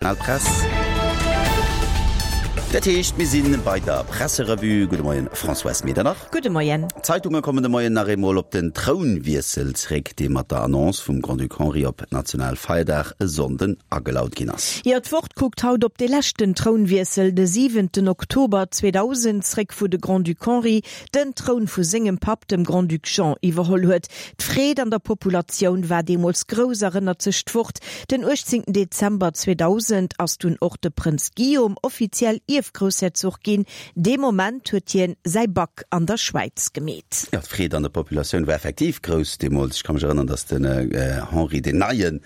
Press. Dat heescht, mir si bei der Presserevue. Gudde Moien, Françoise Medernach. Gudde Moien. D'Zeitunge kommen de Moien nach eemol op den Trounwiessel zréck, dee mat der Annonce vum Grand-Duc Henri op Nationalfeierdag e Sonnden agelaut ginn ass. Jo, d'Wort kuckt haut op dee leschten Trounwiessel, de siwenten Oktober 2000, zréck, wou de Grand-Duc Henri den Troun vu sengem Papp, dem Grand-Duc Jean, iwwerholl huet. D'Freed an der Populatioun war deemools grouss, erënnert sech d'Wort. Den 18 Dezember 2000 ass dunn och de Prënz Guillaume offiziell Ierfgroussherzog ginn. Dee Moment huet hien säi Bac an der Schwäiz gemeet. Jo, d'Freed an der Populatioun war effektiv grouss deemools. Ech ka mech erënneren, datt den Henri, den neie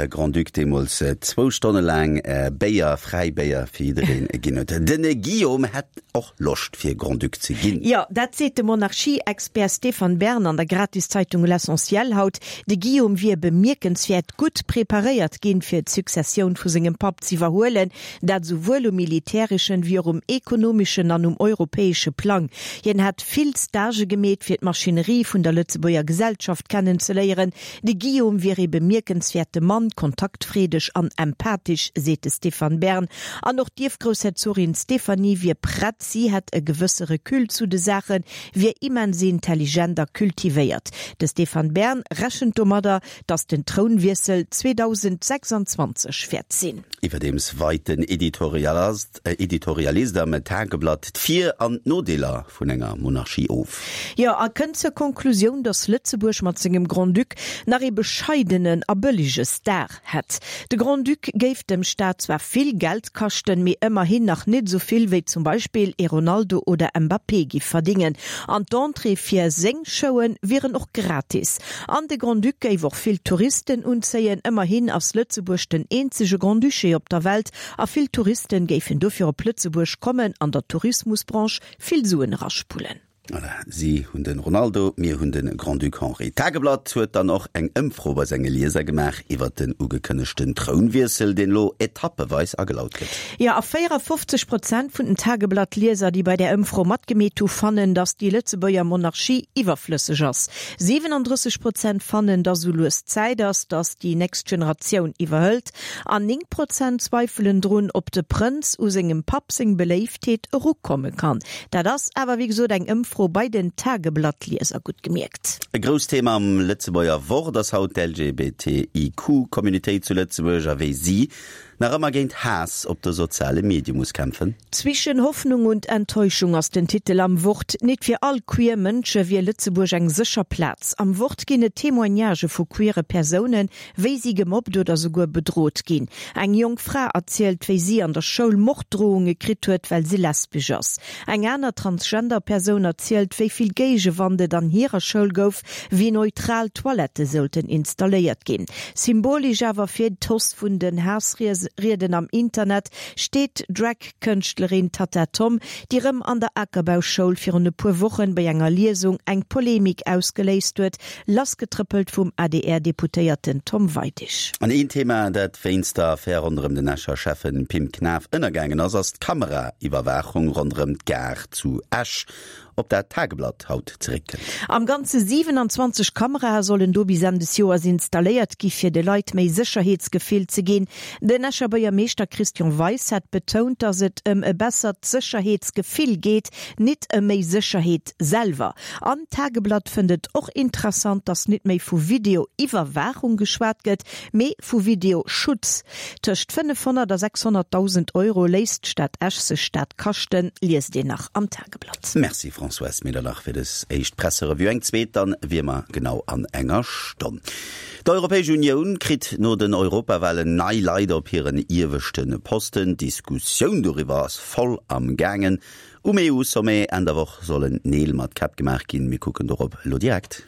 Grand-Duc, deemools zwou Stonne laang Béier, fräi Béier fir jiddereen ginn huet. Den Guillaume hätt och Loscht fir Grand-Duc ze ginn. Jo, dat seet de Monarchie-Expert Stéphane Bern an der Gratiszeitung L'Essentiel haut. De Guillaume wier bemierkenswäert gutt preparéiert ginn, fir d'Successioun vu sengem Papp z'iwwerhuelen, dat esouwuel um militäreschen, wéi och um ekonomeschen an um europäesche Plang. Hien hätt vill Stagë gemeet, fir d'Maschinerie vun der Lëtzebuerger Gesellschaft kennenzeléieren. De Guillaume wier ee bemierkenswäerte Mann, kontaktfreedeg an empathesch, seet de Stéphane Bern. An och d'Ierfgroussherzogin Stéphanie wier prett, si hätt e gewësse Recul zu de Saachen, wier immens intelligent a kultivéiert. De Stéphane Bern rechent domadder, datt den Trounwiessel 2026 wäert sinn. Iwwerdeems weit den Editorialist am Tageblatt d'Vir an d'Nodeeler vun enger Monarchie of. Jo, a kënnt zur Konklusioun, datt Lëtzebuerg mat sengem Grand-Duc nach ee bescheidenen a bëllege Star hätt. De Grand-Duc géif dem Staat zwar vill Geld kaschten, mee ëmmerhin nach nit esou vill wéi zum Beispill ee Ronaldo oder Mbappé giff verdingen. An d'Entrée fir seng Showen wieren och gratis. An de Grand-Duc géif och vill Touristen unzéien, ëmmerhin ass Lëtzebuerg den eenzege Grand-Duché op der Welt a vill Touristen géifen dofir op Lëtzebuerg kommen an der Tourismusbranche vill Suen eraspullen. Voilà, si hunn de Ronaldo, mir hunn de Grand-Duc Henri. D'Tageblatt huet dann och eng Ëmfro bei senge Lieser gemaach iwwer den ugekënnegten Trounwiessel, deen elo etappeweis agelaut gëtt. Jo, a 54 Prozent vun den Tageblatt-Lieser, déi bei där Ëmfro matgemeet hu, fannen, datt déi Lëtzebuerger Monarchie iwwerflësseg ass. 37 Prozent fannen, datt esou lues Zäit ass, datt déi nächst Generatioun iwwerhëlt. An 9 Prozent zweifelen drun, ob de Prënz u sengem Papp seng Beléiftheet erukomme kann. Dat ass awer wéi gesot eng Ëmfro bei den Tageblatt-Lieser, gutt gemierkt. E grousst Thema am Lëtzebuerger Wort ass haut d'LGBTIQ-Communautéit zu Lëtzebuerg a wéi si nach ëmmer géint Haass op de soziale Medie muss kämpfen. Zwischen Hoffnung und Enttäuschung ass den Titel am Wort. Nit fir all queer Mënsche wier Lëtzebuerg eng sécher Plaz. Am Wort ginn et Témoignagë vu queere Persounen, wéi si gemobbt oder souguer bedrot ginn. Eng jonk Fra erzielt, wéi si an der Schoul Morddrohunge kritt huet, well si lesbesch ass. Eng aner Transgender-Persoun erzielt, wéi vill Géigewand et an hirer Schoul gouf, wéi neutral Toilette sollten installéiert ginn. Symbolesch awer fir d'Hoss vun den Haassrieden am Internet steet d'Drag-Kënschtlerin Tatta Tom, déi rëm an der Akerbauschoul virun e puer Wochen bei enger Liesung eng Polemik ausgeléist huet, Lassgetrëppelt vum ADR-Deputéierten Tom Weidig. An een Thema, dat wéinst der Affär ronderëm den Escher Schäffen Pim Knaff ënnergaangen ass, ass d'Kameraiwwerwaachung ronderëm d'Gare zu Esch, op dat d'Tageblatt haut zeréckkënnt. Am Ganze 27 Kamerae sollen do bis Enn des Joers installéiert gi fir de Leit méi Sécherheetsgefill ze ginn. Den Escher Buergermeeschter Christian Weis hat betount, datt et ëm e bessert Sécherheetsgefill geet, nit ëm méi Sécherheet. Selwer. An d'Tageblatt fënnt et och interessant, datt nit méi vu Video-Iwwerwaachung geschwat gëtt, mee vu Video-Schutz. Tëscht 500 a 600.000 Euro léisst d'Stad Esch sech dat kaschten, liest een nach am Tageblatt. Merci Françoise Medernach fir des éischt Presserevue. Eng zweet dann wéi ëmmer genau an enger Stonn. D'Europäesch Unioun kritt no den Europawahlen nei Leit op hiren ieweschte Posten. D'Diskussioun doriwwer ass voll am gaangen. Um EU-Sommet Enn der Woch sollen Neel mat Käpp gemaach ginn. Mir kucken dorop elo direkt.